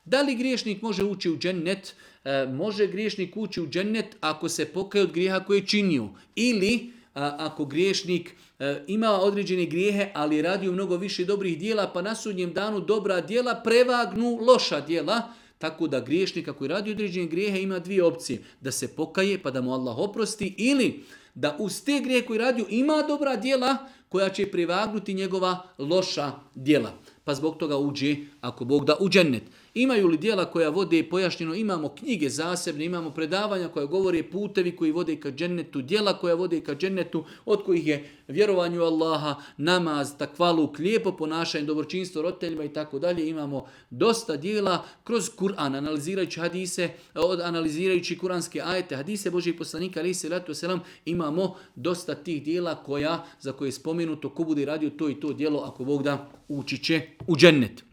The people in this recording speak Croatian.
Da li griješnik može ući u džennet? Može griješnik ući u džennet ako se pokaje od grijeha koje je činio. Ili ako griješnik ima određene grijehe, ali radi mnogo više dobrih dijela, pa na sudnjem danu dobra dijela prevagnu loša dijela. Tako da griješnik ako radi određene grijehe ima dvije opcije. Da se pokaje pa da mu Allah oprosti, ili da uz te grijehe koje radio ima dobra dijela koja će prevagnuti njegova loša dijela. Pa zbog toga uđe, ako Bog da, u džennet. Imaju li dijela koja vode, pojašnjeno, imamo knjige zasebne, imamo predavanja koja govore putevi koji vode ka džennetu, dijela koja vode ka džennetu, od kojih je vjerovanju Allaha, namaz, takvaluk, lijepo ponašanje, dobročinstvo roditeljima i tako dalje. Imamo dosta dijela kroz Kur'an, analizirajući hadise, analizirajući kuranske ajete, hadise Božih poslanika, alejhi selatu vesselam, imamo dosta tih dijela za koje je spomenuto ko bude radio to i to djelo, ako Bog da, ući će u džennet.